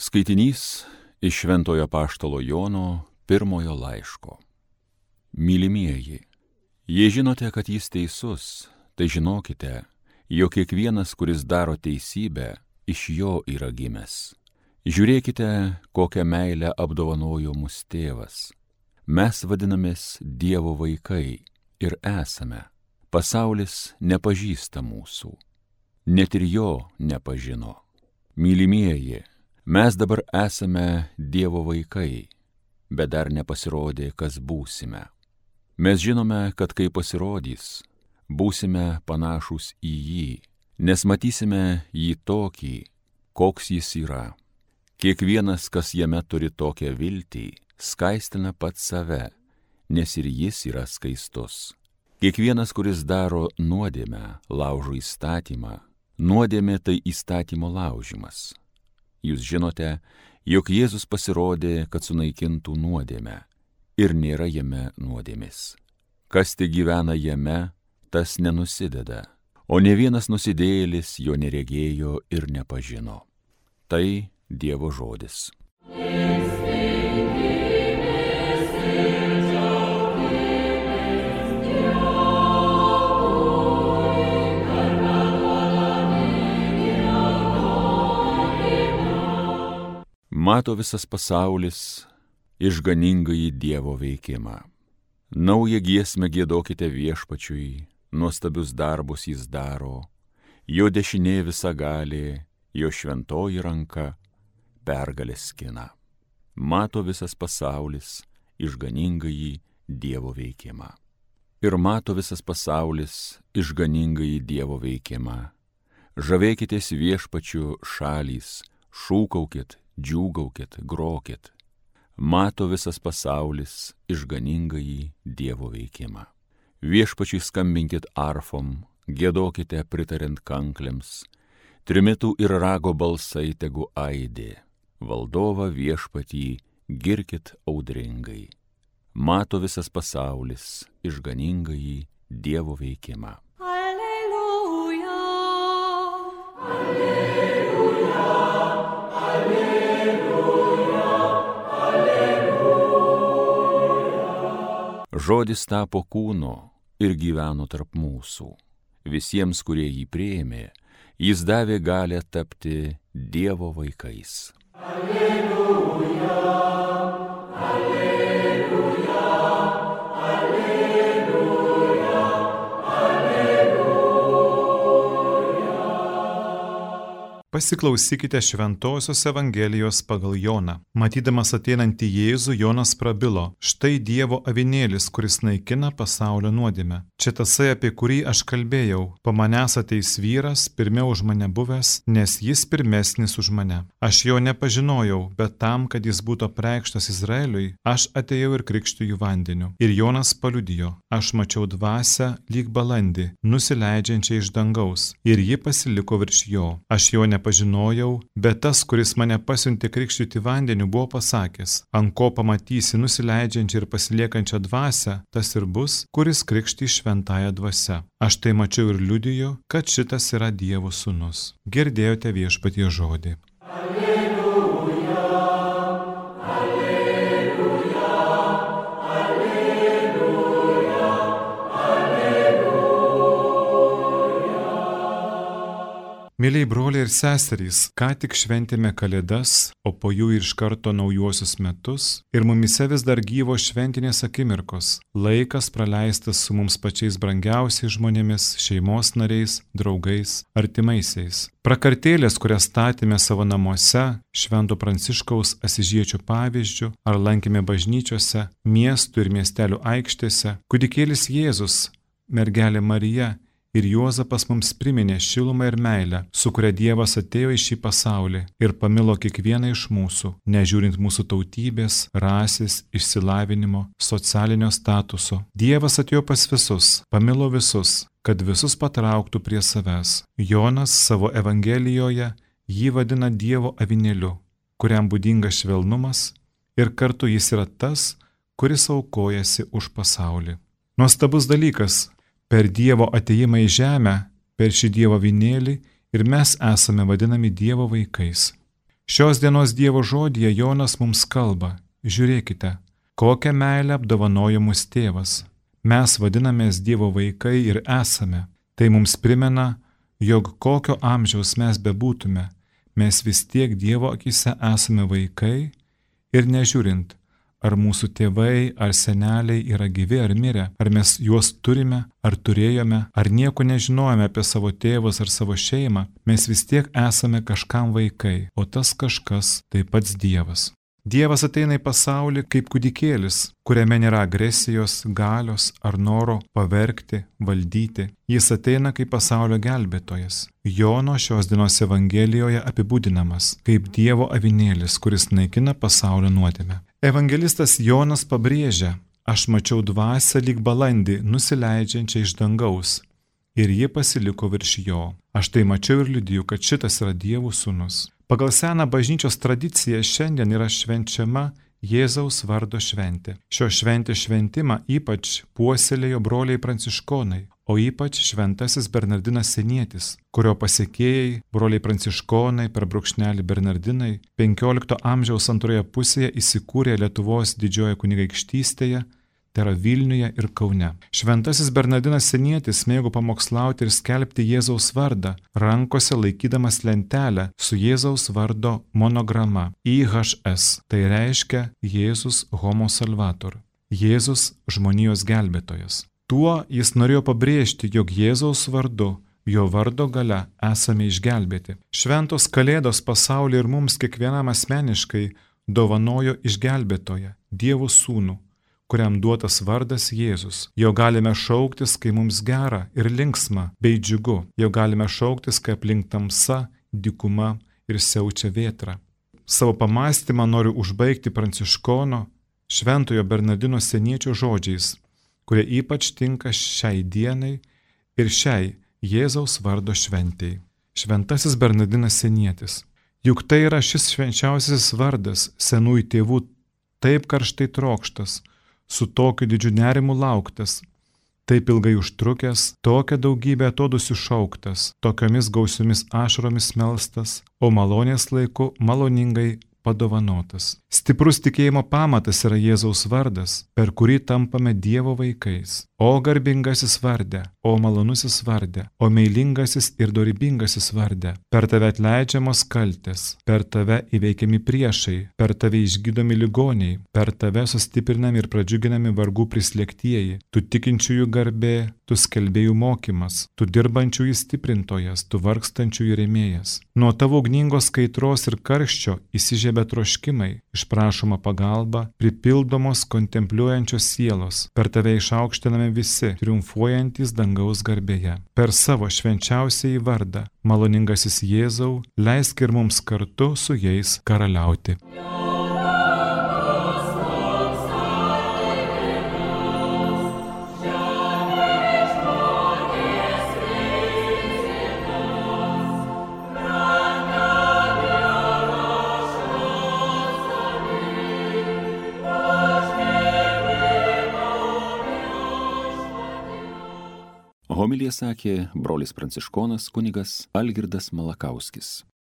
Skaitinys iš Šventojo apaštalo Jono pirmojo laiško. Mylimieji, jei žinote, kad jis teisus, tai žinokite, jog kiekvienas, kuris daro teisybę, iš jo yra gimęs. Žiūrėkite, kokią meilę apdovanojo mus tėvas. Mes vadinamės Dievo vaikai ir esame. Pasaulis nepažįsta mūsų. Net ir jo nepažino. Mylimieji, mes dabar esame Dievo vaikai, bet dar nepasirodė, kas būsime. Mes žinome, kad kai pasirodys, būsime panašūs į jį, nes matysime jį tokį, koks jis yra. Kiekvienas, kas jame turi tokią viltį, skaistina pats save, nes ir jis yra skaistus. Kiekvienas, kuris daro nuodėmę, laužo įstatymą. Nuodėmė tai įstatymo laužimas. Jūs žinote, jog Jėzus pasirodė, kad sunaikintų nuodėmę, ir nėra jame nuodėmės. Kas tik gyvena jame, tas nenusideda, o ne vienas nusidėjėlis jo neregėjo ir nepažino. Tai Dievo žodis. Mato visas pasaulis išganingąjį Dievo veikimą. Naują giesmę giedokite Viešpačiui, nuostabius darbus jis daro, jo dešinė visagalė, jo šventoji ranka pergalės skina. Mato visas pasaulis išganingąjį Dievo veikimą. Ir mato visas pasaulis išganingąjį Dievo veikimą. Žavėkitės Viešpačiu šalys, šūkaukit, džiūgaukit, grokit. Mato visas pasaulis išganingąjį Dievo veikimą. Viešpačiui skambinkit arfom, giedokite pritariant kanklėms, trimitų ir rago balsai tegu aidė. Valdovą Viešpatį girkit audringai. Mato visas pasaulis išganingąjį Dievo veikimą. Alleluja, alleluja, alleluja, alleluja. Žodis tapo kūnu ir gyveno tarp mūsų. Visiems, kurie jį priėmė, jis davė galią tapti Dievo vaikais. Alleluja, alleluja, alleluja, alleluja. Pasiklausykite Šventosios Evangelijos pagal Joną. Matydamas ateinantį Jėzų, Jonas prabilo: štai Dievo avinėlis, kuris naikina pasaulio nuodėmę. Čia tasai, apie kurį aš kalbėjau. Po manęs ateis vyras, pirmiau už mane buvęs, nes jis pirmesnis už mane. Aš jo nepažinojau, bet tam, kad jis būtų apreikštas Izraeliui, aš atėjau ir krikštiju vandeniu. Ir Jonas paliudijo: aš mačiau dvasią lyg balandį, nusileidžiančią iš dangaus, ir ji pasiliko virš jo. Aš jo nepažinojau, bet tas, kuris mane pasiuntė krikštyti vandeniu, buvo pasakęs: ant ko pamatysi nusileidžiančią ir pasiliekančią dvasią, tas ir bus, kuris krikštys šventąją dvasią. Aš tai mačiau ir liudiju, kad šitas yra Dievo sūnus. Girdėjote Viešpaties žodį. Alleluja, alleluja, alleluja, alleluja. Mėlyjei broliai ir seserys, ką tik šventėme Kalėdas, o po jų ir iš karto naujuosius metus, ir mumise vis dar gyvo šventinės akimirkos, laikas praleistas su mums pačiais brangiausiais žmonėmis, šeimos nariais, draugais, artimaisiais. Prakartėlės, kurias statėme savo namuose, Švento Pranciškaus Asyžiečio pavyzdžių, ar lankėme bažnyčiose, miestų ir miestelių aikštėse, kūdikėlis Jėzus, mergelė Marija ir Juozapas mums priminė šilumą ir meilę, su kuria Dievas atėjo į šį pasaulį ir pamilo kiekvieną iš mūsų, nežiūrint mūsų tautybės, rasės, išsilavinimo, socialinio statuso. Dievas atėjo pas visus, pamilo visus, kad visus patrauktų prie savęs. Jonas savo Evangelijoje jį vadina Dievo avinėliu, kuriam būdingas švelnumas, ir kartu jis yra tas, kuris aukojasi už pasaulį. Nuostabus dalykas. Per Dievo atėjimą į žemę, per šį Dievo avinėlį ir mes esame vadinami Dievo vaikais. Šios dienos Dievo žodyje Jonas mums kalba: žiūrėkite, kokią meilę apdovanojo mus tėvas. Mes vadinamės Dievo vaikai ir esame. Tai mums primena, jog kokio amžiaus mes bebūtume, mes vis tiek Dievo akyse esame vaikai ir nežiūrint, ar mūsų tėvai ar seneliai yra gyvi ar mirę, ar mes juos turime ar turėjome, ar nieko nežinojame apie savo tėvus ar savo šeimą, mes vis tiek esame kažkam vaikai, o tas kažkas tai pats Dievas. Dievas ateina į pasaulį kaip kūdikėlis, kuriame nėra agresijos, galios ar noro pavergti, valdyti. Jis ateina kaip pasaulio gelbėtojas. Jono šios dienos Evangelijoje apibūdinamas kaip Dievo avinėlis, kuris naikina pasaulio nuodėmę. Evangelistas Jonas pabrėžia: aš mačiau dvasią lyg balandį nusileidžiančią iš dangaus, ir ji pasiliko virš jo. Aš tai mačiau ir liudiju, kad šitas yra Dievo sūnus. Pagal seną bažnyčios tradiciją šiandien yra švenčiama Jėzaus vardo šventė. Šio šventės šventimą ypač puoselėjo broliai pranciškonai, o ypač šventasis Bernardinas Senietis, kurio pasekėjai, broliai pranciškonai per brūkšnelį Bernardinai, 15 amžiaus antroje pusėje įsikūrė Lietuvos didžiojoje kunigaikštystėje, tai yra Vilniuje ir Kaune. Šventasis Bernardinas Senietis mėgo pamokslauti ir skelbti Jėzaus vardą, rankose laikydamas lentelę su Jėzaus vardo monograma IHS, tai reiškia Jėzus Homo Salvator, Jėzus žmonijos gelbėtojas. Tuo jis norėjo pabrėžti, jog Jėzaus vardu, jo vardo gale esame išgelbėti. Šventos Kalėdos pasauliui ir mums kiekvienam asmeniškai dovanojo išgelbėtoją, Dievo sūnų, kuriam duotas vardas Jėzus. Jo galime šauktis, kai mums gera ir linksma bei džiugu. Jo galime šauktis, kai aplink tamsa, dykuma ir siaučia vėtra. Savo pamąstymą noriu užbaigti pranciškono šventojo Bernardino Seniečio žodžiais, kurie ypač tinka šiai dienai ir šiai Jėzaus vardo šventei. Šventasis Bernardinas Senietis. Juk tai yra šis švenčiausiasis vardas senųjų tėvų taip karštai trokštas, su tokiu didžiu nerimu lauktas, taip ilgai užtrukęs, tokią daugybę atodūsių šauktas, tokiomis gausiomis ašaromis melstas, o malonės laiku maloningai padovanotas. Stiprus tikėjimo pamatas yra Jėzaus vardas, per kurį tampame Dievo vaikais. O garbingasis varde, o malonusis varde, o meilingasis ir dorybingasis varde, per tave atleidžiamos kaltės, per tave įveikiami priešai, per tave išgydomi ligoniai, per tave sustiprinami ir pradžiuginami vargų prislėgtieji, tu tikinčiųjų garbė, tu skelbėjų mokymas, tu dirbančiųjų stiprintojas, tu vargstančiųjų rėmėjas. Nuo tavo ugningos kaitros ir karščio įsižiebia troškimai, išprašoma pagalba, pripildomos kontempliuojančios sielos, per tave išaukštiname visi, triumfuojantis dangaus garbėje. Per savo švenčiausiąjį vardą, maloningasis Jėzau, leisk ir mums kartu su jais karaliauti. Homiliją sakė brolis pranciškonas kunigas Algirdas Malakauskis.